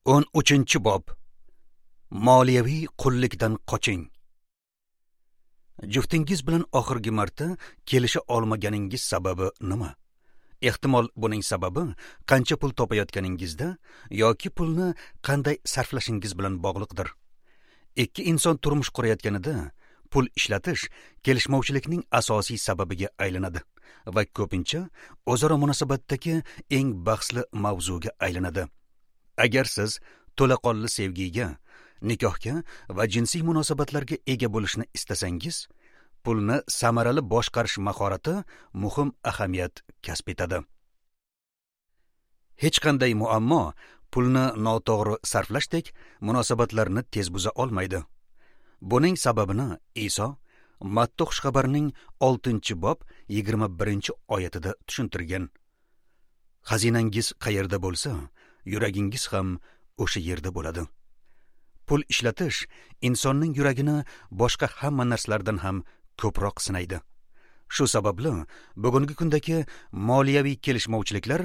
13-bob. Moliyaviy qullikdan qoching. Juftingiz bilan oxirgi marta kelisha olmaganingiz sababi nima? Ehtimol buning sababi qancha pul topayotganingizda yoki pulni qanday sarflashingiz bilan bog'liqdir. Ikki inson turmush qurayotganida pul ishlatish kelishmovchilikning asosiy sababiga aylanadi va ko'pincha o'zaro munosabatdagi eng bahsli mavzuga aylanadi. Agar siz to'laqonli sevgiga, nikohga va jinsiy munosabatlarga ega bo'lishni istasangiz, pulni samarali boshqarish mahorati muhim ahamiyat kasb etadi. Hech qanday muammo pulni noto'g'ri sarflashdek munosabatlarni tez buza olmaydi. Buning sababini Iso Matta xushxabarining 6-bob 21-oyatida tushuntirgan. Xazinangiz qayerda bo'lsa, yuragingiz ham o'sha yerda bo'ladi. Pul ishlatish insonning yuragini boshqa hamma narsalardan ham ko'proq sinaydi. Shu sababli bugungi kundagi moliyaviy kelishmovchiliklar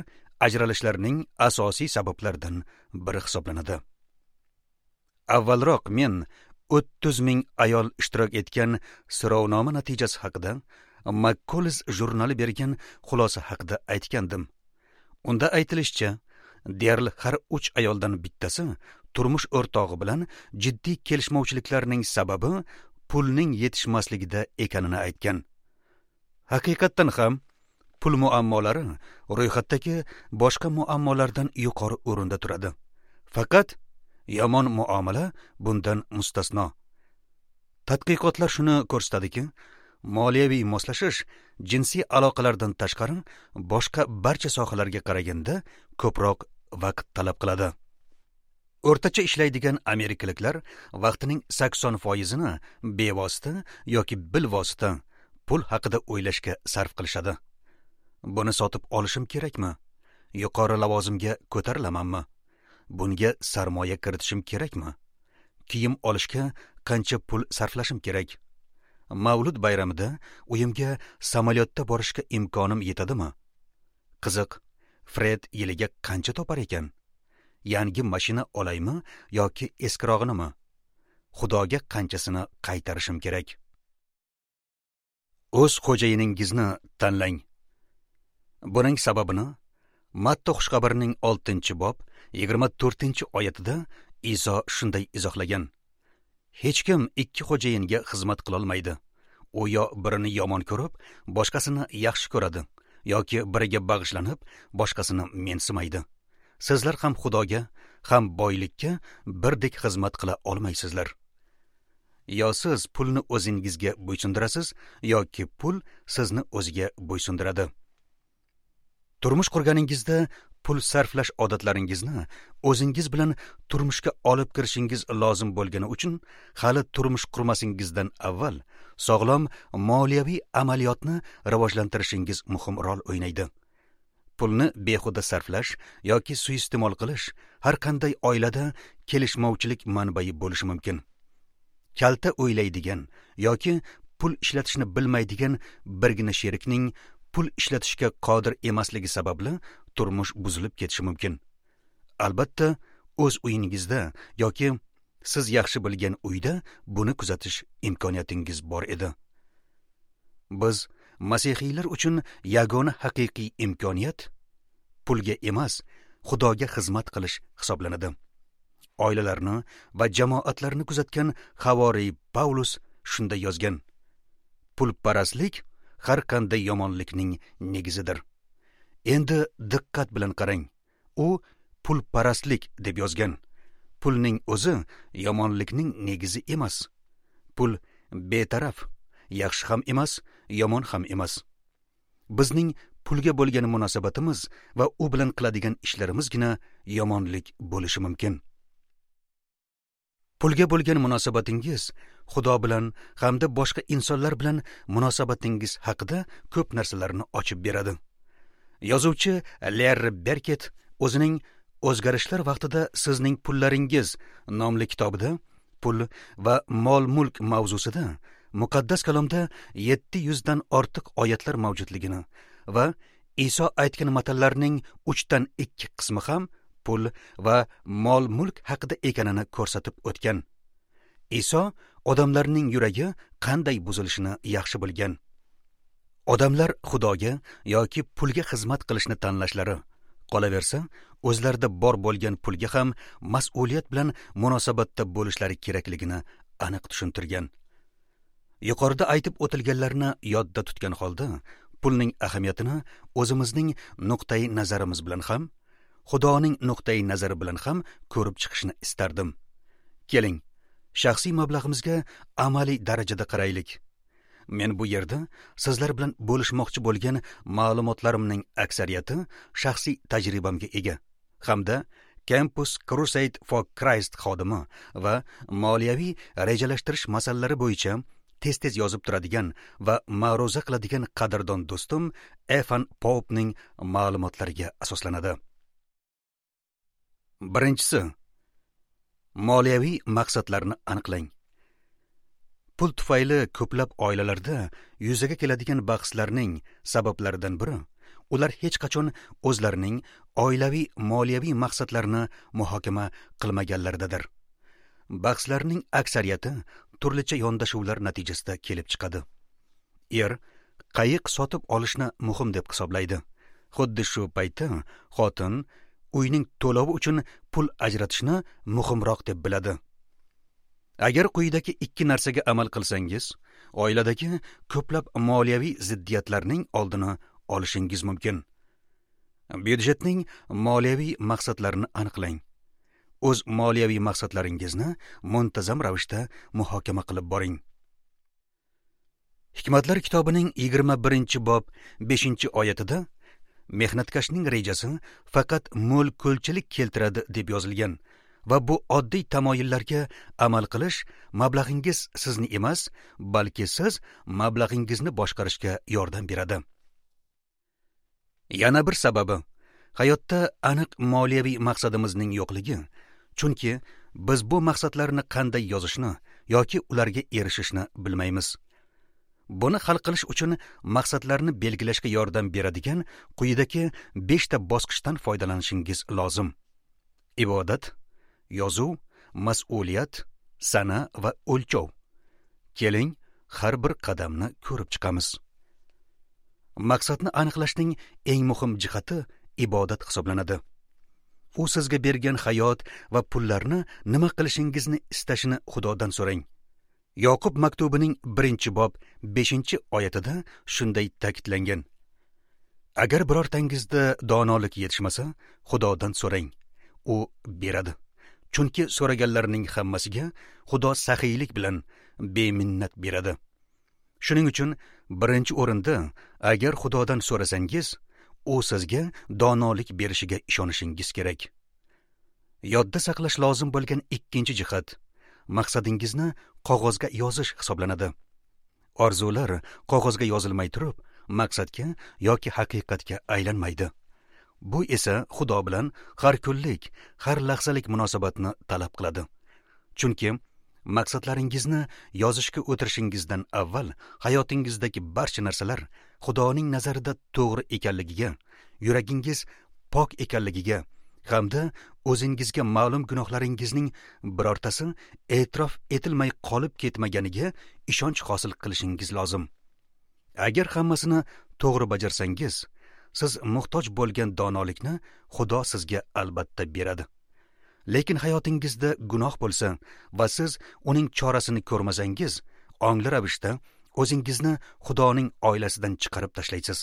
ajralishlarning asosiy sabablaridan biri hisoblanadi. Avvalroq men 30 ming ayol ishtirok etgan so'rovnoma natijasi haqida McCall's jurnali bergan xulosa haqida aytgandim. Unda aytilishicha, deyarli har 3 ayoldan bittasi turmush o'rtog'i bilan jiddiy kelishmovchiliklarning sababi pulning yetishmasligida ekanini aytgan. Haqiqatdan ham pul muammolari ro'yxatdagi boshqa muammolardan yuqori o'rinda turadi. Faqat yomon muomala bundan mustasno. Tadqiqotlar shuni ko'rsatadiki, moliyaviy moslashish jinsiy aloqalardan tashqari boshqa barcha sohalarga qaraganda ko'proq vaqt talab qiladi. O'rtacha ishlaydigan amerikaliklar vaqtining 80%ni bevosita yoki bilvosita pul haqida o'ylashga sarf qilishadi. Buni sotib olishim kerakmi? Yuqori lavozimga ko'tarilamanmi? Bunga sarmoya kiritishim kerakmi? Kiyim olishga qancha pul sarflashim kerak? Mavlud bayramida uyimga samolyotda borishga imkonim yetadimi? Qiziq, Fred yiliga qancha topar ekan? Yangi mashina olaymi yoki eskirog'inimi? Xudoga qanchasini qaytarishim kerak? O'z xo'jayiningizni tanlang. Buning sababini Matta xushxabarining 6-bob 24-oyatida Iso shunday izohlagan: Hech kim ikki xo'jayinga xizmat qila olmaydi. U yo birini yomon ko'rib, boshqasini yaxshi ko'radi, yoki biriga bag'ishlanib, boshqasini mensimaydi. Sizlar ham Xudoga, ham boylikka birdek xizmat qila olmaysizlar. Yo siz pulni o'zingizga bo'ysundirasiz, yoki pul sizni o'ziga bo'ysundiradi. Turmush qurganingizda pul sarflash odatlaringizni o'zingiz bilan turmushga olib kirishingiz lozim bo'lgani uchun hali turmush qurmasingizdan avval sog'lom moliyaviy amaliyotni rivojlantirishingiz muhim rol o'ynaydi. Pulni behuda sarflash yoki suiiste'mol qilish har qanday oilada kelishmovchilik manbai bo'lishi mumkin. Kalta o'ylaydigan yoki pul ishlatishni bilmaydigan birgina sherikning pul ishlatishga qodir emasligi sababli turmush buzilib ketishi mumkin. Albatta, o'z uyingizda yoki siz yaxshi bilgan uyda buni kuzatish imkoniyatingiz bor edi. Biz masihiylar uchun yagona haqiqiy imkoniyat pulga emas, Xudoga xizmat qilish hisoblanadi. Oilalarni va jamoatlarni kuzatgan havoriy Pavlus shunday yozgan: Pulparastlik har qanday yomonlikning negizidir. Endi diqqat bilan qarang. U pulparastlik deb yozgan. Pulning o'zi yomonlikning negizi emas. Pul betaraf, yaxshi ham emas, yomon ham emas. Bizning pulga bo'lgan munosabatimiz va u bilan qiladigan ishlarimizgina yomonlik bo'lishi mumkin. Pulga bo'lgan munosabatingiz Xudo bilan hamda boshqa insonlar bilan munosabatingiz haqida ko'p narsalarni ochib beradi. Yozuvchi Lerri Berket o'zining O'zgarishlar vaqtida sizning pullaringiz nomli kitobida pul va mol-mulk mavzusida muqaddas kalomda 700 dan ortiq oyatlar mavjudligini va Iso aytgan matallarning 3 dan 2 qismi ham pul va mol-mulk haqida ekanini ko'rsatib o'tgan. Iso odamlarning yuragi qanday buzilishini yaxshi bilgan. Odamlar Xudoga yoki pulga xizmat qilishni tanlashlari, qolaversa, o'zlarida bor bo'lgan pulga ham mas'uliyat bilan munosabatda bo'lishlari kerakligini aniq tushuntirgan. Yuqorida aytib o'tilganlarni yodda tutgan holda pulning ahamiyatini o'zimizning nuqtai nazarimiz bilan ham, Xudoning nuqtai nazari bilan ham ko'rib chiqishni istardim. Keling, shaxsiy mablag'imizga amaliy darajada qaraylik. Men bu yerda sizlar bilan bo'lishmoqchi bo'lgan ma'lumotlarimning aksariyati shaxsiy tajribamga ega hamda Campus Crusade for Christ xodimi va moliyaviy rejalashtirish masalalari bo'yicha tez-tez yozib turadigan va ma'ruza qiladigan qadrdon do'stim Evan Popening ma'lumotlariga asoslanadi. Birinchisi, moliyaviy maqsadlarni aniqlang. Pul tufayli ko'plab oilalarda yuzaga keladigan bahslarning sabablaridan biri ular hech qachon o'zlarining oilaviy moliyaviy maqsadlarini muhokama qilmaganlaridadir. Bahslarning aksariyati turlicha yondashuvlar natijasida kelib chiqadi. Er qayiq sotib olishni muhim deb hisoblaydi. Xuddi shu paytda xotin uyning to'lovi uchun pul ajratishni muhimroq deb biladi. Agar quyidagi ikki narsaga amal qilsangiz, oiladagi ko'plab moliyaviy ziddiyatlarning oldini olishingiz mumkin. Byudjetning moliyaviy maqsadlarini aniqlang. O'z moliyaviy maqsadlaringizni muntazam ravishda muhokama qilib boring. Hikmatlar kitobining 21-bob 5-oyatida mehnatkashning rejasi faqat mo'l-ko'lchilik keltiradi deb yozilgan va bu oddiy tamoyillarga amal qilish mablag'ingiz sizni emas, balki siz mablag'ingizni boshqarishga yordam beradi. Yana bir sababi hayotda aniq moliyaviy maqsadimizning yo'qligi, chunki biz bu maqsadlarni qanday yozishni yoki ularga erishishni bilmaymiz. Buni hal qilish uchun maqsadlarni belgilashga yordam beradigan quyidagi 5 ta bosqichdan foydalanishingiz lozim. Ibodat, yozuv, mas'uliyat, sana va o'lchov. Keling, har bir qadamni ko'rib chiqamiz. Maqsadni aniqlashning eng muhim jihati ibodat hisoblanadi. U sizga bergan hayot va pullarni nima qilishingizni istashini Xudodan so'rang. Yoqub maktubining 1-bob 5-oyatida shunday ta'kidlangan: Agar birortangizda donolik yetishmasa, Xudodan so'rang, u beradi. Chunki so'raganlarning hammasiga Xudo saxiylik bilan beminnat beradi. Shuning uchun birinchi o'rinda agar Xudodan so'rasangiz, u sizga donolik berishiga ishonishingiz kerak. Yodda saqlash lozim bo'lgan ikkinchi jihat maqsadingizni qog'ozga yozish hisoblanadi. Orzular qog'ozga yozilmay turib, maqsadga yoki haqiqatga aylanmaydi. Bu esa Xudo bilan har kunlik, har lahzalik munosabatni talab qiladi. Chunki maqsadlaringizni yozishga o'tirishingizdan avval hayotingizdagi barcha narsalar Xudoning nazarida to'g'ri ekanligiga, yuragingiz pok ekanligiga hamda o'zingizga ma'lum gunohlaringizning birortasi e'tirof etilmay qolib ketmaganiga ishonch hosil qilishingiz lozim. Agar hammasini to'g'ri bajarsangiz, siz muhtoj bo'lgan donolikni Xudo sizga albatta beradi. Lekin hayotingizda gunoh bo'lsa va siz uning chorasini ko'rmasangiz, ongli ravishda o'zingizni Xudoning oilasidan chiqarib tashlaysiz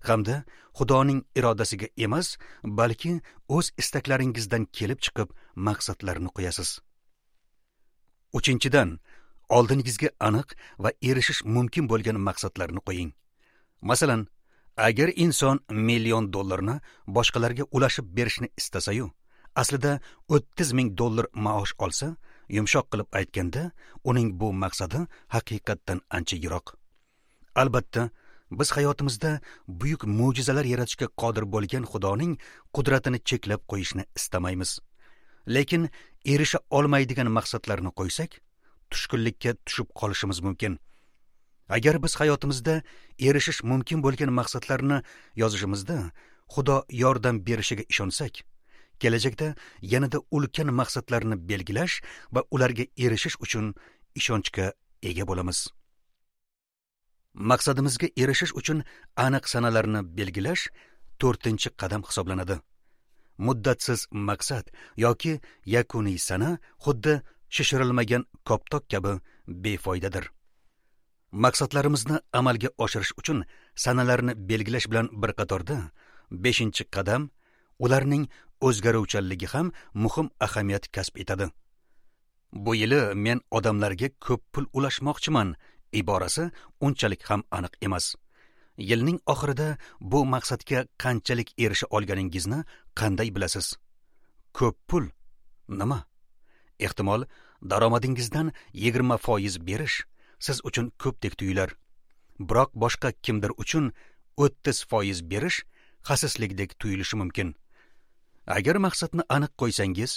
hamda Xudoning irodasiga emas, balki o'z istaklaringizdan kelib chiqib maqsadlarni qo'yasiz. Uchinchidan, oldingizga aniq va erishish mumkin bo'lgan maqsadlarni qo'ying. Masalan, agar inson $1 million boshqalarga ulashib berishni istasa-yu, aslida $30 ming maosh olsa, yumshoq qilib aytganda, uning bu maqsadi haqiqatdan ancha yiroq. Albatta, biz hayotimizda buyuk mo'jizalar yaratishga qodir bo'lgan Xudoning qudratini cheklab qo'yishni istamaymiz. Lekin erisha olmaydigan maqsadlarni qo'ysak, tushkunlikka tushib qolishimiz mumkin. Agar biz hayotimizda erishish mumkin bo'lgan maqsadlarni yozishimizda Xudo yordam berishiga ishonsak, Kelajakda yanada ulkan maqsadlarni belgilash va ularga erishish uchun ishonchga ega bo'lamiz. Maqsadimizga erishish uchun aniq sanalarni belgilash 4-qadam hisoblanadi. Muddatsiz maqsad yoki yakuniy sana xuddi shishirilmagan koptok kabi befoydadir. Maqsadlarimizni amalga oshirish uchun sanalarni belgilash bilan bir qatorda 5-qadam ularning o'zgaruvchanligi ham muhim ahamiyat kasb etadi. Bu yili men odamlarga ko'p pul ulashmoqchiman iborasi unchalik ham aniq emas. Yilning oxirida bu maqsadga qanchalik erisha olganingizni qanday bilasiz? Ko'p pul nima? Ehtimol daromadingizdan 20% berish siz uchun ko'pdek tuyular. Biroq boshqa kimdir uchun 30% berish xasislikdek tuyulishi mumkin. Agar maqsadni aniq qo'ysangiz,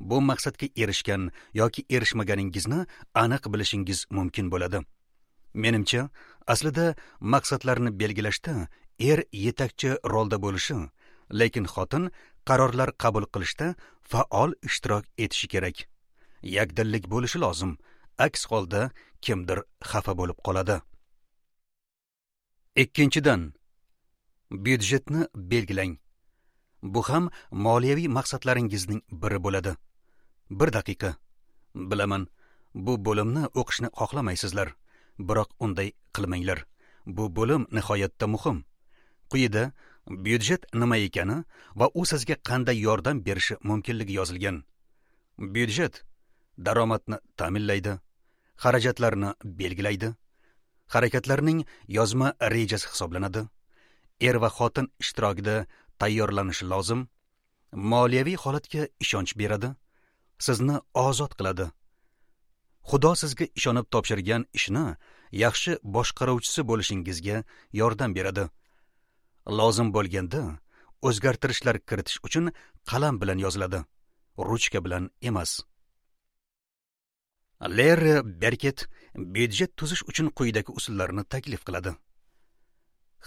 bu maqsadga erishgan yoki erishmaganingizni aniq bilishingiz mumkin bo'ladi. Menimcha, aslida maqsadlarni belgilashda er yetakchi rolda bo'lishi, lekin xotin qarorlar qabul qilishda faol ishtirok etishi kerak. Yakdillik bo'lishi lozim, aks holda kimdir xafa bo'lib qoladi. Ikkinchidan, byudjetni belgilang. Bu ham moliyaviy maqsadlaringizning biri bo'ladi. Bir daqiqa. Bilaman, bu bo'limni o'qishni xohlamaysizlar, biroq unday qilmanglar. Bu bo'lim nihoyatda muhim. Quyida byudjet nima ekani va u sizga qanday yordam berishi mumkinligi yozilgan. Byudjet daromadni ta'minlaydi, xarajatlarni belgilaydi, harakatlarning yozma rejasi hisoblanadi. Er va xotin ishtirokida tayyorlanishi lozim, moliyaviy holatga ishonch beradi, sizni ozod qiladi. Xudo sizga ishonib topshirgan ishni yaxshi boshqaruvchisi bo'lishingizga yordam beradi. Lozim bo'lganda o'zgartirishlar kiritish uchun qalam bilan yoziladi, ruchka bilan emas. Larri Berket byudjet tuzish uchun quyidagi usullarni taklif qiladi.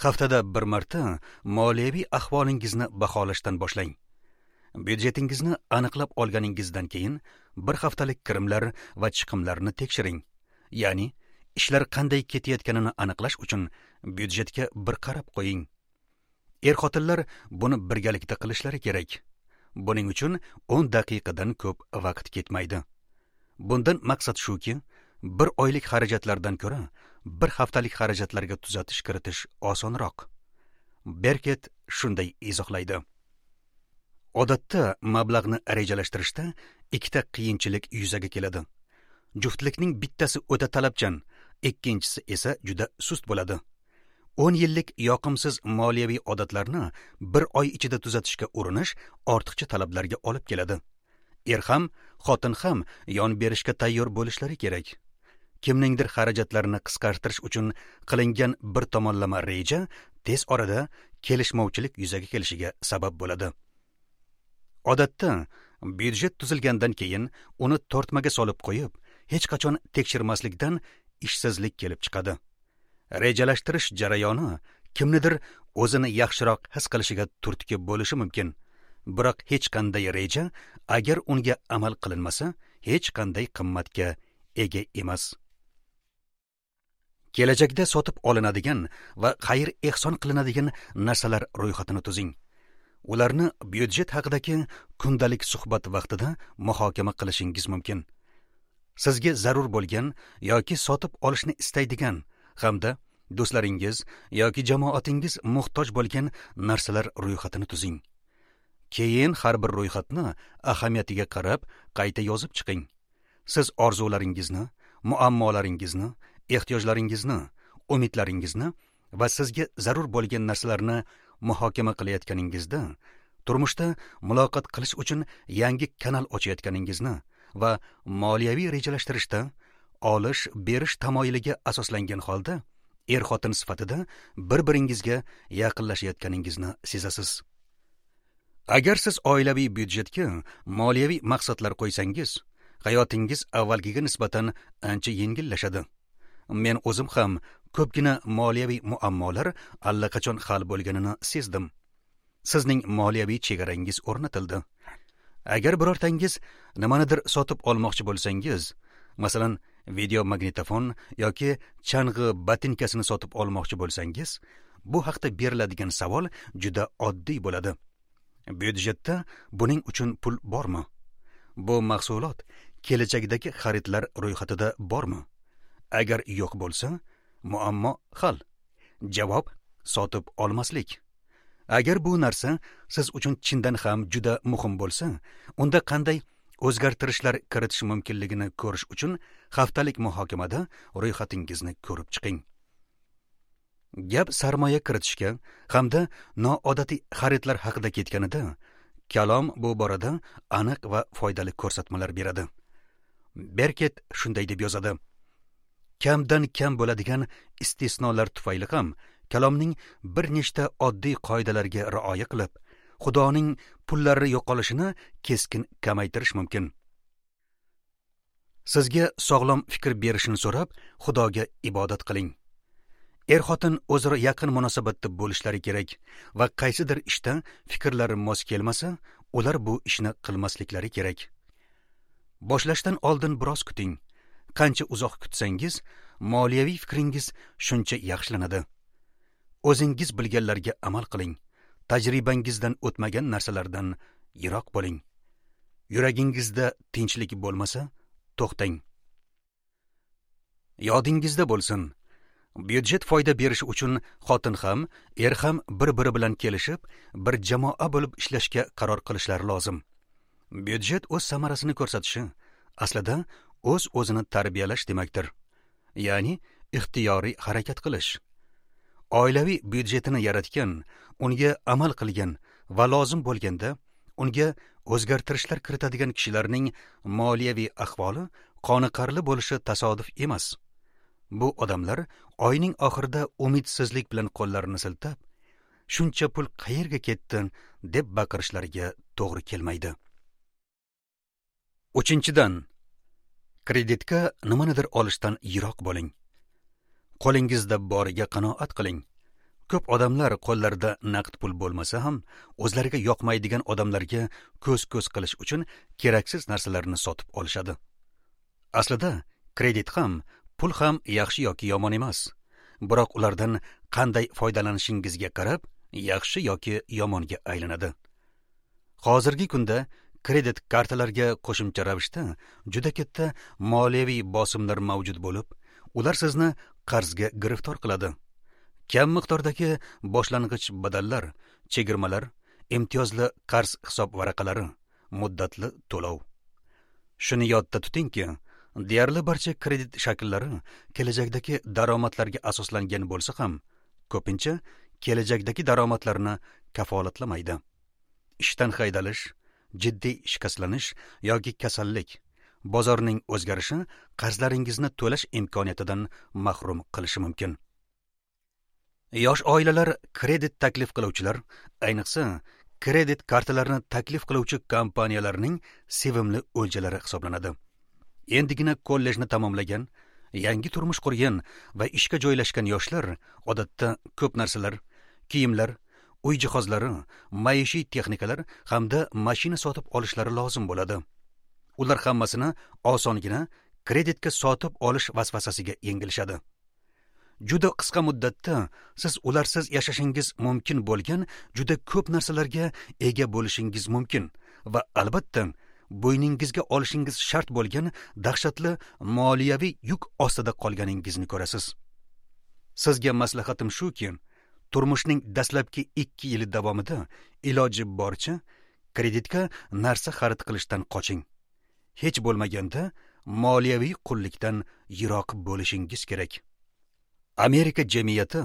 Haftada bir marta moliyaviy ahvolingizni baholashdan boshlang. Byudjetingizni aniqlab olganingizdan keyin bir haftalik kirimlar va chiqimlarni tekshiring. Ya'ni ishlar qanday ketayotganini aniqlash uchun byudjetga bir qarab qo'ying. Er-xotinlar buni birgalikda qilishlari kerak. Buning uchun 10 daqiqadan ko'p vaqt ketmaydi. Bundan maqsad shuki, bir oylik xarajatlardan ko'ra bir haftalik xarajatlarga tuzatish kiritish osonroq. Berket shunday izohlaydi. Odatda mablag'ni rejalashtirishda ikkita qiyinchilik yuzaga keladi. Juftlikning bittasi o'ta talabchan, ikkinchisi esa juda sust bo'ladi. 10 yillik yoqimsiz moliyaviy odatlarni bir oy ichida tuzatishga urinish ortiqcha talablarga olib keladi. Er ham, xotin ham yon berishga tayyor bo'lishlari kerak. Kimningdir xarajatlarini qisqartirish uchun qilingan bir tomonlama reja tez orada kelishmovchilik yuzaga kelishiga sabab bo'ladi. Odatda byudjet tuzilgandan keyin uni tortmaga solib qo'yib, hech qachon tekshirmaslikdan ishsizlik kelib chiqadi. Rejalashtirish jarayoni kimnidir o'zini yaxshiroq his qilishiga turtki bo'lishi mumkin. Biroq hech qanday reja agar unga amal qilinmasa, hech qanday qimmatga ega emas. Kelajakda sotib olinadigan va xayr-ehson qilinadigan narsalar ro'yxatini tuzing. Ularni byudjet haqidagi kundalik suhbat vaqtida muhokama qilishingiz mumkin. Sizga zarur bo'lgan yoki sotib olishni istaydigan hamda do'stlaringiz yoki jamoatingiz muhtoj bo'lgan narsalar ro'yxatini tuzing. Keyin har bir ro'yxatni ahamiyatiga qarab qayta yozib chiqing. Siz orzularingizni, muammolaringizni, ehtiyojlaringizni, umidlaringizni va sizga zarur bo'lgan narsalarni muhokama qilayotganingizda, turmushda muloqot qilish uchun yangi kanal ochayotganingizni va moliyaviy rejalashtirishda olish berish tamoyiliga asoslangan holda er-xotin sifatida bir-biringizga yaqinlashayotganingizni sezasiz. Agar siz oilaviy byudjetga moliyaviy maqsadlar qo'ysangiz, hayotingiz avvalgiga nisbatan ancha yengillashadi. Men o'zim ham ko'pgina moliyaviy muammolar allaqachon hal bo'lganini sezdim. Sizning moliyaviy chegarangiz o'rnatildi. Agar birortangiz nimanidir sotib olmoqchi bo'lsangiz, masalan, video magnitofon yoki chang'i botinkasini sotib olmoqchi bo'lsangiz, bu haqda beriladigan savol juda oddiy bo'ladi. Byudjetda buning uchun pul bormi? Bu mahsulot kelajakdagi xaridlar ro'yxatida bormi? Agar yo'q bo'lsa, muammo hal. Javob: sotib olmaslik. Agar bu narsa siz uchun chindan ham juda muhim bo'lsa, unda qanday o'zgartirishlar kiritish mumkinligini ko'rish uchun haftalik muhokamada ro'yxatingizni ko'rib chiqing. Gap sarmoya kiritishga hamda noodatiy xaridlar haqida ketganida, Kalom bu borada aniq va foydali ko'rsatmalar beradi. Berket shunday deb yozadi: Kamdan kam bo'ladigan istisnolar tufayli ham Kalomning bir nechta oddiy qoidalariga rioya qilib, Xudoning pullari yo'qolishini keskin kamaytirish mumkin. Sizga sog'lom fikr berishini so'rab, Xudoga ibodat qiling. Er-xotin o'zaro yaqin munosabatda bo'lishlari kerak va qaysidir ishda fikrlari mos kelmasa, ular bu ishni qilmasliklari kerak. Boshlashdan oldin biroz kuting. Qancha uzoq kutsangiz, moliyaviy fikringiz shuncha yaxshilanadi. O'zingiz bilganlarga amal qiling. Tajribangizdan o'tmagan narsalardan yiroq bo'ling. Yuragingizda tinchlik bo'lmasa, to'xtang. Yodingizda bo'lsin, byudjet foyda berishi uchun xotin ham, er ham bir-biri bilan kelishib, bir jamoa bo'lib ishlashga qaror qilishlari lozim. Byudjet o'z samarasini ko'rsatishi aslida o'z-o'zini tarbiyalash demakdir. Ya'ni ixtiyoriy harakat qilish. Oilaviy byudjetini yaratgan, unga amal qilgan va lozim bo'lganda unga o'zgartirishlar kiritadigan kishilarning moliyaviy ahvoli qoniqarli bo'lishi tasodif emas. Bu odamlar oyning oxirida umidsizlik bilan qo'llarini siltab, shuncha pul qayerga ketdi deb baqirishlariga to'g'ri kelmaydi. Uchinchidan, kreditga nimanidir olishdan yiroq bo'ling. Qo'lingizda boriga qanoat qiling. Ko'p odamlar qo'llarida naqd pul bo'lmasa ham, o'zlariga yoqmaydigan odamlarga ko'z-ko'z qilish uchun keraksiz narsalarni sotib olishadi. Aslida kredit ham, pul ham yaxshi yoki yomon emas. Biroq ulardan qanday foydalanishingizga qarab, yaxshi yoki yomonga aylanadi. Hozirgi kunda kredit kartalarga qo'shimcha ravishda juda katta moliyaviy bosimlar mavjud bo'lib, ular sizni qarzga giriftor qiladi. Kam miqdordagi boshlang'ich badallar, chegirmalar, imtiyozli qarz hisob varaqalari, muddatli to'lov. Shuni yodda tutingki, deyarli barcha kredit shakllari kelajakdagi daromadlarga asoslangan bo'lsa ham, ko'pincha kelajakdagi daromadlarni kafolatlamaydi. Ishdan haydalish, jiddiy shikastlanish yoki kasallik, bozorning o'zgarishi qarzlaringizni to'lash imkoniyatidan mahrum qilishi mumkin. Yosh oilalar kredit taklif qiluvchilar, ayniqsa kredit kartalarini taklif qiluvchi kompaniyalarning sevimli o'ljalari hisoblanadi. Endigina kollejni tamomlagan, yangi turmush qurgan va ishga joylashgan yoshlar odatda ko'p narsalar, kiyimlar, uy jihozlari, maishiy texnikalar hamda mashina sotib olishlari lozim bo'ladi. Ular hammasini osongina kreditga sotib olish vasvasasiga yengilishadi. Juda qisqa muddatda siz ularsiz yashashingiz mumkin bo'lgan juda ko'p narsalarga ega bo'lishingiz mumkin va albatta bo'yningizga olishingiz shart bo'lgan dahshatli moliyaviy yuk ostida qolganingizni ko'rasiz. Sizga maslahatim shuki, turmushning dastlabki 2 yili davomida iloji boricha kreditga narsa xarid qilishdan qoching. Hech bo'lmaganda moliyaviy qullikdan yiroq bo'lishingiz kerak. Amerika jamiyati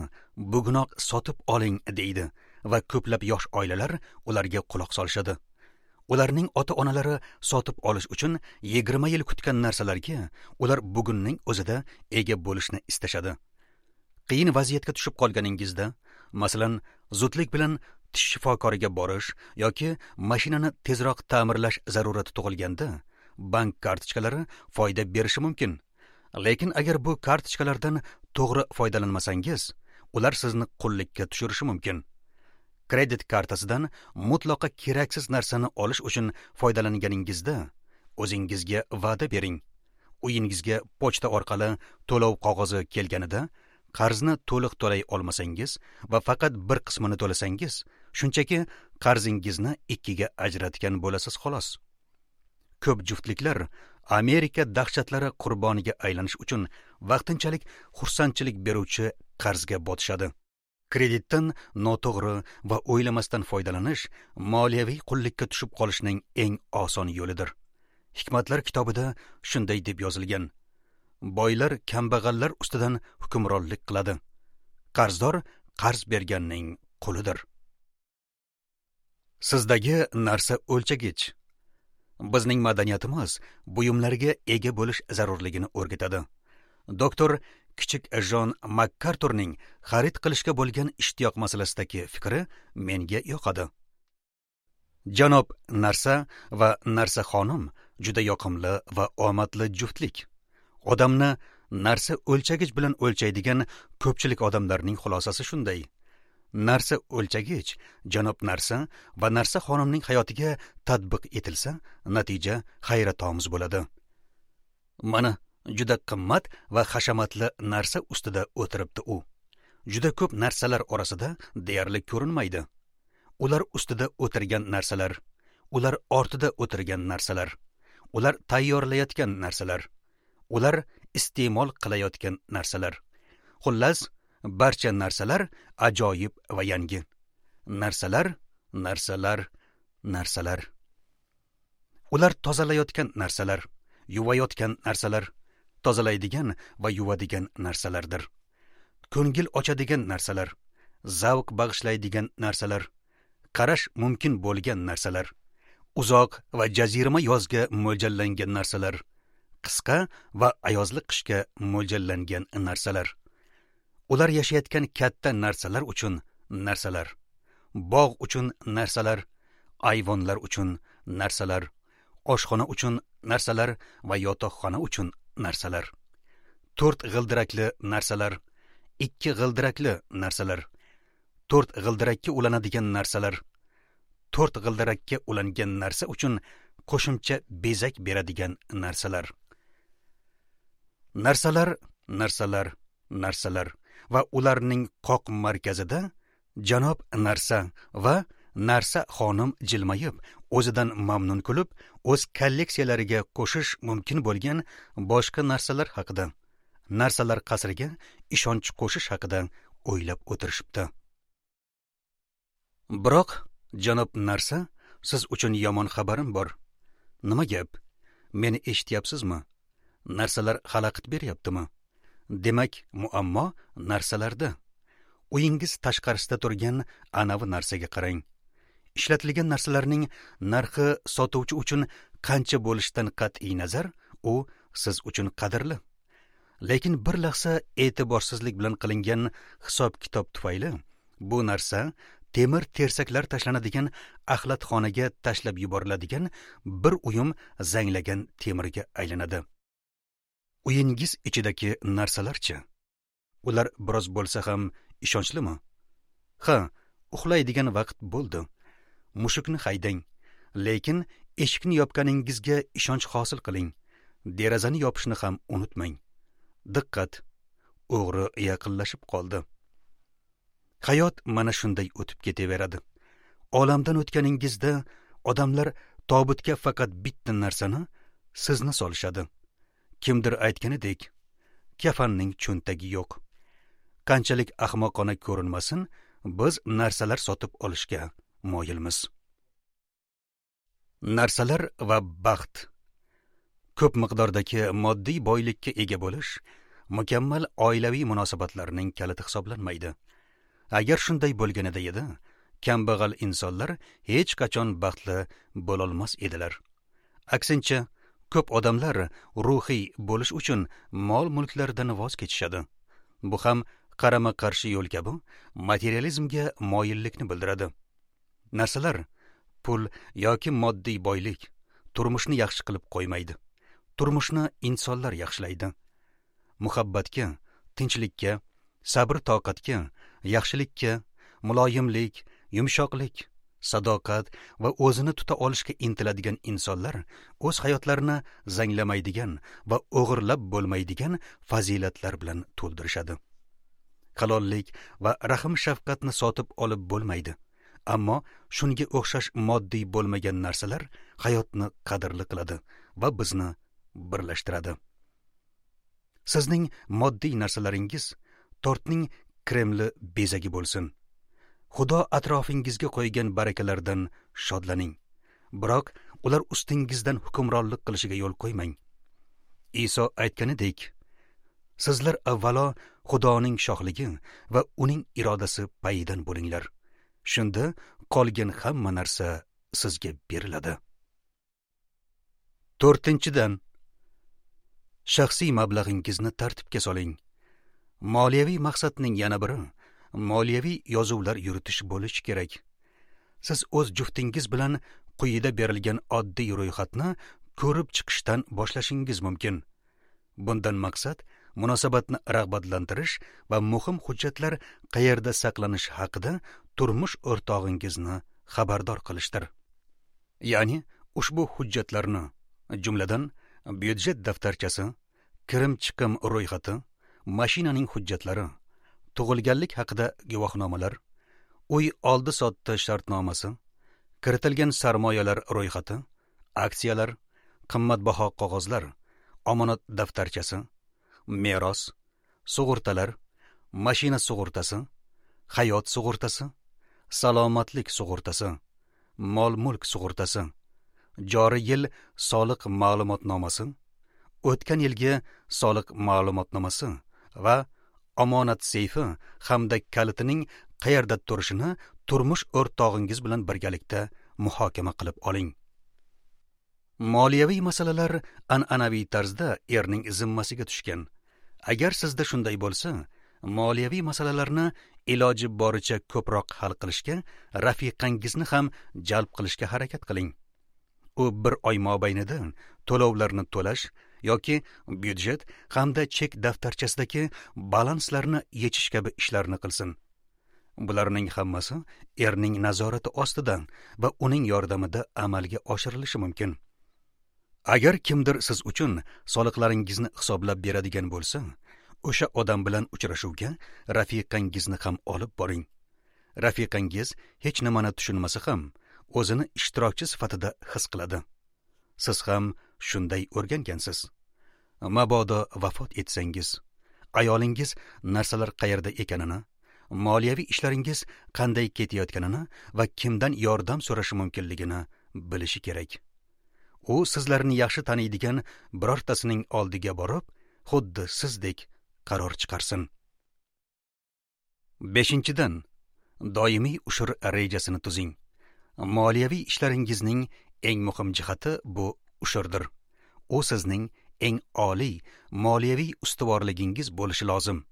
bugunoq sotib oling deydi va ko'plab yosh oilalar ularga quloq solishadi. Ularning ota-onalari sotib olish uchun 20 yil kutgan narsalarga ular bugunning o'zida ega bo'lishni istashadi. Qiyin vaziyatga tushib qolganingizda, masalan, zudlik bilan tish shifokoriga borish yoki mashinani tezroq ta'mirlash zarurati tug'ilganda, bank kartochkalari foyda berishi mumkin. Lekin agar bu kartochkalardan to'g'ri foydalanmasangiz, ular sizni qullikka tushirishi mumkin. Kredit kartasidan mutlaqo keraksiz narsani olish uchun foydalanganingizda o'zingizga va'da bering. Uyingizga pochta orqali to'lov qog'ozi kelganida qarzni to'liq to'lay olmasangiz va faqat bir qismini to'lasangiz, shunchaki qarzingizni ikkiga ajratgan bo'lasiz xolos. Ko'p juftliklar Amerika dahshatlari qurboniga aylanish uchun vaqtinchalik xursandchilik beruvchi qarzga botishadi. Kreditdan noto'g'ri va o'ylamasdan foydalanish moliyaviy qullikka tushib qolishning eng oson yo'lidir. Hikmatlar kitobida shunday deb yozilgan: boylar kambag'allar ustidan hukmronlik qiladi. Qarzdor qarz berganning qulidir. Sizdagi narsa o'lchagich. Bizning madaniyatimiz buyumlarga ega bo'lish zarurligini o'rgatadi. Doktor Kichik Jon MakArthurning xarid qilishga bo'lgan ishtiyoq masalasidagi fikri menga yoqadi. Janob narsa va narsa xonim juda yoqimli va omadli juftlik. Odamni narsa o'lchagich bilan o'lchaydigan ko'pchilik odamlarning xulosasi shunday. Narsa o'lchagich janob narsa va narsa xonimning hayotiga tatbiq etilsa, natija hayratomuz bo'ladi. Mana juda qimmat va hashamatli narsa ustida o'tiribdi u. Juda ko'p narsalar orasida deyarli ko'rinmaydi. Ular ustida o'tirgan narsalar, ular ortida o'tirgan narsalar, ular tayyorlayotgan narsalar, ular iste'mol qilayotgan narsalar. Xullas, barcha narsalar ajoyib va yangi. Narsalar, narsalar, narsalar. Ular tozalayotgan narsalar, yuvayotgan narsalar, tozalaydigan va yuvadigan narsalardir. Ko'ngil ochadigan narsalar, zavq bag'ishlaydigan narsalar, qarash mumkin bo'lgan narsalar, uzoq va jazirama yozga mo'ljallangan narsalar, qisqa va ayozli qishga mo'ljallangan narsalar. Ular yashayotgan katta narsalar uchun narsalar, bog' uchun narsalar, ayvonlar uchun narsalar, oshxona uchun narsalar va yotoqxona uchun narsalar. 4 g'ildirakli narsalar, 2 g'ildirakli narsalar, 4 g'ildirakka ulanadigan narsalar, 4 g'ildirakka ulangan narsa uchun qo'shimcha bezak beradigan narsalar. Narsalar, narsalar, narsalar va ularning qoq markazida janob narsa va narsa xonim jilmayib, o'zidan mamnun kulib, o'z kolleksiyalariga qo'shish mumkin bo'lgan boshqa narsalar haqida, narsalar qasriga ishonch qo'shish haqida o'ylab o'tirishibdi. Biroq janob narsa, siz uchun yomon xabarim bor. Nima gap? Meni eshityapsizmi? Narsalar xalaqit beryaptimi? Demak, muammo narsalarda. Uyingiz tashqarisida turgan anavi narsaga qarang. Ishlatilgan narsalarning narxi sotuvchi uchun qancha bo'lishidan qat'iy nazar, u siz uchun qadrli. Lekin bir lahza e'tiborsizlik bilan qilingan hisob-kitob tufayli bu narsa temir tersaklar tashlanadigan axlatxonaga tashlab yuboriladigan bir uyum zanglagan temirga aylanadi. Uyingiz ichidagi narsalarchi? Ular biroz bo'lsa ham ishonchlimi? Ha, uxlaydigan vaqt bo'ldi. Mushukni haydang, lekin eshikni yopganingizga ishonch hosil qiling. Derazani yopishni ham unutmang. Diqqat, o'g'ri yaqinlashib qoldi. Hayot mana shunday o'tib ketaveradi. Olamdan o'tganingizda odamlar tobutga faqat bitta narsani, sizni solishadi. Kimdir aytganidek, kafanning cho'ntagi yo'q. Qanchalik ahmoqona ko'rinmasin, biz narsalar sotib olishga moyilmiz. Narsalar va baxt. Ko'p miqdordagi moddiy boylikka ega bo'lish mukammal oilaviy munosabatlarning kaliti hisoblanmaydi. Agar shunday bo'lganida edi, kambag'al insonlar hech qachon baxtli bo'lolmas edilar. Aksincha, ko'p odamlar ruhiy bo'lish uchun mol-mulklardan voz kechishadi. Bu ham qarama-qarshi yo'l kabi materializmga moyillikni bildiradi. Narsalar, pul yoki moddiy boylik turmushni yaxshi qilib qo'ymaydi. Turmushni insonlar yaxshilaydi. Muhabbatga, tinchlikka, sabr-toqatga, yaxshilikka, muloyimlik, Yumshoqlik, sadoqat va o'zini tuta olishga intiladigan insonlar o'z hayotlarini zanglamaydigan va o'g'irlab bo'lmaydigan fazilatlar bilan to'ldirishadi. Halollik va rahm shafqatni sotib olib bo'lmaydi. Ammo shunga o'xshash moddiy bo'lmagan narsalar hayotni qadrli qiladi va bizni birlashtiradi. Sizning moddiy narsalaringiz tortning kremli bezagi bo'lsin. Xudo atrofingizga qo'ygan barakalardan shodlaning. Biroq ular ustingizdan hukmronlik qilishiga yo'l qo'ymang. Iso aytganidek, sizlar avvalo Xudoning shohligi va uning irodasi payidan bo'linglar. Shunda qolgan hamma narsa sizga beriladi. 4-dan, shaxsiy mablag'ingizni tartibga soling. Moliyaviy maqsadning yana biri moliyaviy yozuvlar yuritish bo'lishi kerak. Siz o'z juftingiz bilan quyida berilgan oddiy ro'yxatni ko'rib chiqishdan boshlashingiz mumkin. Bundan maqsad munosabatni rag'batlantirish va muhim hujjatlar qayerda saqlanishi haqida turmush o'rtog'ingizni xabardor qilishdir. Ya'ni ushbu hujjatlarni, jumladan byudjet daftarchasi, kirim-chiqim ro'yxati, mashinaning hujjatlari, tug'ilganlik haqida guvohnomalar, uy oldi-sotdi shartnomasi, kiritilgan sarmoyalar ro'yxati, aksiyalar, qimmatbaho qog'ozlar, omonat daftarchasi, meros, sug'urtalar, mashina sug'urtasi, hayot sug'urtasi, salomatlik sug'urtasi, mol-mulk sug'urtasi, joriy yil soliq ma'lumotnomasi, o'tgan yilgi soliq ma'lumotnomasi va omonat seyfi hamda kalitining qayerda turishini turmush o'rtog'ingiz bilan birgalikda muhokama qilib oling. Moliyaviy masalalar an'anaviy tarzda erning zimmasiga tushgan. Agar sizda shunday bo'lsa, moliyaviy masalalarni iloji boricha ko'proq hal qilishga rafiqangizni ham jalb qilishga harakat qiling. U bir oy mobaynida to'lovlarni to'lash yoki byudjet hamda chek daftarchasidagi balanslarni yechish kabi ishlarni qilsin. Bularning hammasi erning nazorati ostida va uning yordamida amalga oshirilishi mumkin. Agar kimdir siz uchun soliqlaringizni hisoblab beradigan bo'lsa, o'sha odam bilan uchrashuvga rafiqangizni ham olib boring. Rafiqangiz hech nimani tushunmasa ham, o'zini ishtirokchi sifatida his qiladi. Siz ham shunday o'rgangansiz. Mabodo vafot etsangiz, ayolingiz narsalar qayerda ekanini, moliyaviy ishlaringiz qanday ketayotganini va kimdan yordam so'rashi mumkinligini bilishi kerak. U sizlarni yaxshi taniydigan birortasining oldiga borib, xuddi sizdek qaror chiqarsin. 5-dan, doimiy ushur rejasini tuzing. Moliyaviy ishlaringizning eng muhim jihati bu ushurdir. U sizning eng oliy moliyaviy ustuvorligingiz bo'lishi lozim.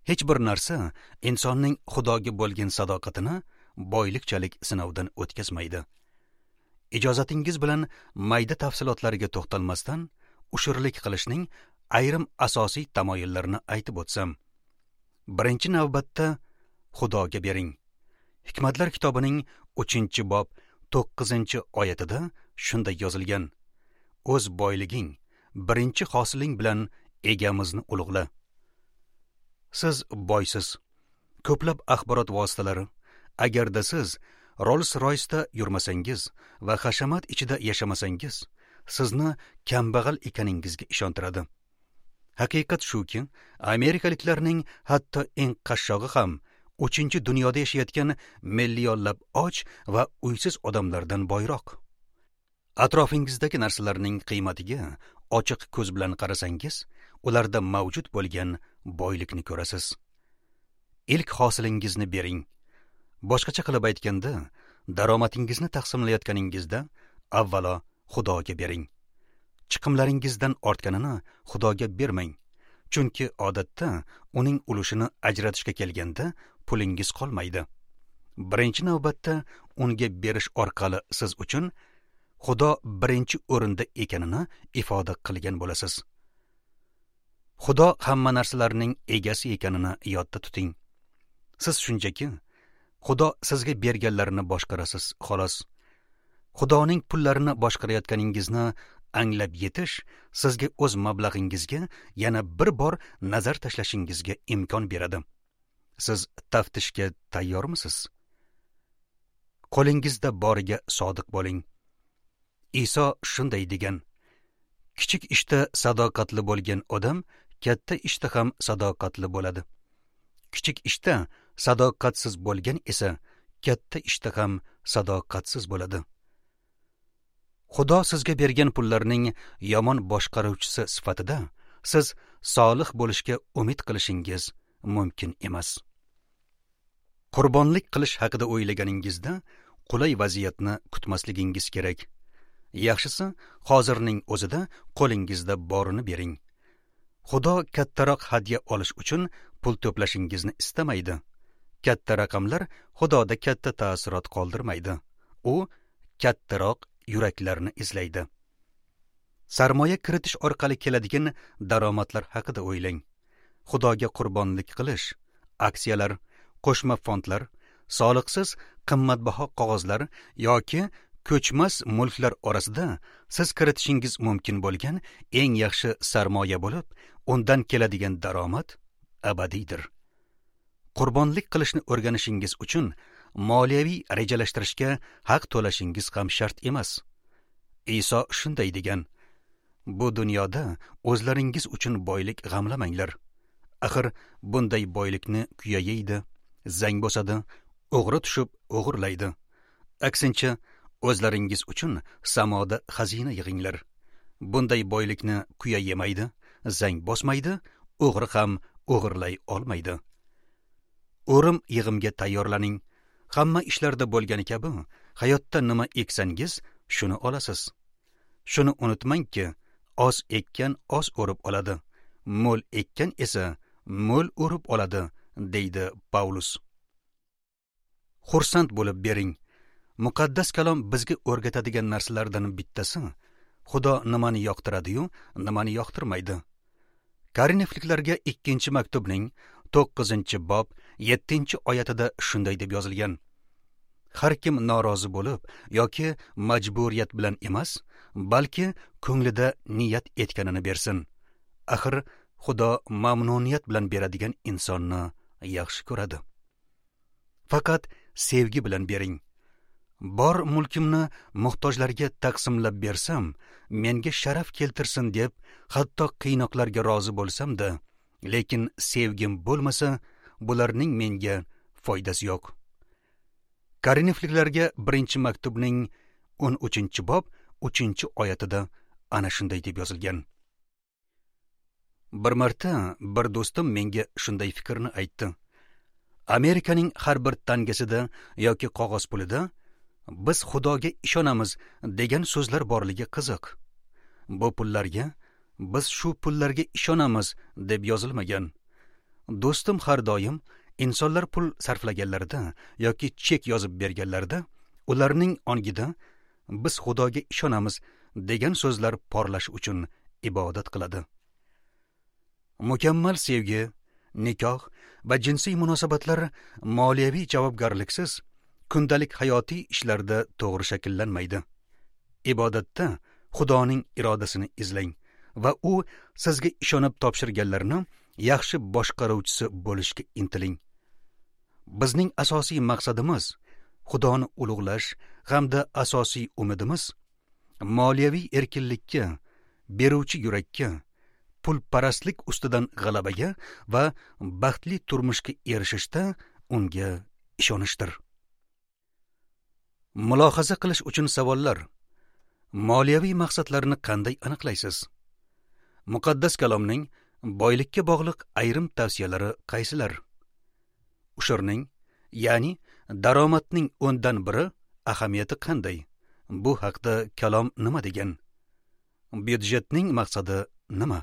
Hech bir narsa insonning Xudoga bo'lgan sadoqatini boylikchalik sinovdan o'tkazmaydi. Ijozatingiz bilan mayda tafsilotlarga to'xtalmasdan ushurlik qilishning ayrim asosiy tamoyillarini aytib o'tsam. Birinchi navbatda Xudoga bering. Hikmatlar kitobining 3-bob 9-oyatida shunday yozilgan: O'z boyliging, birinchi hosiling bilan egamizni ulug'la. Siz boysiz. Ko'plab axborot vositalari, agarda siz Rolls-Royce'da yurmasangiz va hashamat ichida yashamasangiz, sizni kambag'al ekaningizga ishontiradi. Haqiqat shuki, amerikaliklarning hatto eng qashshog'i ham 3-dunyoda yashayotgan millionlab och va uysiz odamlardan boyroq. Atrofingizdagi narsalarning qiymatiga ochiq ko'z bilan qarasangiz, ularda mavjud bo'lgan boylikni ko'rasiz. Ilk hosilingizni bering. Boshqacha qilib aytganda, daromadingizni taqsimlayotganingizda avvalo Xudoga bering. Chiqimlaringizdan ortganini Xudoga bermang, chunki odatda uning ulushini ajratishga kelganda pulingiz qolmaydi. Birinchi navbatda unga berish orqali siz uchun Xudo birinchi o'rinda ekanini ifoda qilgan bo'lasiz. Xudo hamma narsalarning egasi ekanini yodda tuting. Siz shunchaki Xudo sizga berganlarini boshqarasiz, xolos. Xudoning pullarini boshqarayotganingizni anglab yetish sizga o'z mablag'ingizga yana bir bor nazar tashlashingizga imkon beradi. Siz taftishga tayyormisiz? Qo'lingizda boriga sodiq bo'ling. Iso shunday degan: kichik ishda sadoqatli bo'lgan odam katta ishda ham sadoqatli bo'ladi. Kichik ishda sadoqatsiz bo'lgan esa katta ishda ham sadoqatsiz bo'ladi. Xudo sizga bergan pullarning yomon boshqaruvchisi sifatida siz solih bo'lishga umid qilishingiz mumkin emas. Qurbonlik qilish haqida o'ylaganingizda qulay vaziyatni kutmasligingiz kerak. Yaxshisi, hozirning o'zida qo'lingizda borini bering. Xudo kattaroq hadya olish uchun pul to'plashingizni istamaydi. Katta raqamlar Xudoda katta ta'sirot qoldirmaydi. U kattaroq yuraklarni izlaydi. Sarmoya kiritish orqali keladigan daromadlar haqida o'ylang. Xudoga qurbonlik qilish, aksiyalar, qo'shma fondlar, soliqsiz qimmatbaho qog'ozlar yoki ko'chmas mulklar orasida siz kiritishingiz mumkin bo'lgan eng yaxshi sarmoya bo'lib, undan keladigan daromad abadiydir. Qurbonlik qilishni o'rganishingiz uchun moliyaviy rejalashtirishga haq to'lashingiz ham shart emas. Iso shunday degan: bu dunyoda o'zlaringiz uchun boylik g'amlamanglar. Axir bunday boylikni kuya yeydi, zang bosadi, o'g'ri tushib o'g'irlaydi. Aksincha, o'zlaringiz uchun samoda xazina yig'inglar. Bunday boylikni kuya yemaydi, zang bosmaydi, o'g'ri ham o'g'irlay olmaydi. O'rim yig'imga tayyorlaning. Hamma ishlarda bo'lgani kabi, hayotda nima eksangiz, shuni olasiz. Shuni unutmangki, oz ekkan oz o'rib oladi, mo'l ekkan esa mo'l o'rib oladi, deydi Paulus. Xursand bo'lib bering. Muqaddas kalom bizga o'rgatadigan narsalardan bittasi Xudo nimani yoqtiradi-yu, nimani yoqtirmaydi. Korinfliklarga 2-maktubning 9-bob 7-oyatida shunday deb yozilgan: har kim norozi bo'lib yoki majburiyat bilan emas, balki ko'nglida niyat etganini bersin. Axir Xudo mamnuniyat bilan beradigan insonni yaxshi ko'radi. Faqat sevgi bilan bering. Bor mulkimni muhtojlarga taqsimlab bersam, menga sharaf keltirsin deb hatto qiynoqlarga rozi bo'lsam-da, lekin sevgim bo'lmasa, bularning menga foydasi yo'q. Korinfliklarga 1-maktubning 13-bob 3-oyatida ana shunday deb yozilgan. Bir marta bir do'stim menga shunday fikrni aytdi. Amerikaning har bir tangasida yoki qog'oz pulida biz Xudoga ishonamiz degan so'zlar borligi qiziq. Bu pullarga biz shu pullarga ishonamiz deb yozilmagan. Do'stim har doim insonlar pul sarflaganlarida yoki chek yozib berganlarida ularning ongida biz Xudoga ishonamiz degan so'zlar porlash uchun ibodat qiladi. Mukammal sevgi, nikoh va jinsiy munosabatlar moliyaviy javobgarliksiz kundalik hayotiy ishlarda to'g'ri shakllanmaydi. Ibodatda Xudoning irodasini izlang va u sizga ishonib topshirganlarni yaxshi boshqaruvchisi bo'lishga intiling. Bizning asosiy maqsadimiz Xudoni ulug'lash hamda asosiy umidimiz moliyaviy erkinlikka, beruvchi yurakka, pulparastlik ustidan g'alabaga va baxtli turmushga erishishda unga ishonishdir. Mulohaza qilish uchun savollar. Moliyaviy maqsadlarni qanday aniqlaysiz? Muqaddas kalomning boylikka bog'liq ayrim tavsiyalari qaysilar? Ushurning, ya'ni daromadning 1/10 ahamiyati qanday? Bu haqda kalom nima degan? Byudjetning maqsadi nima?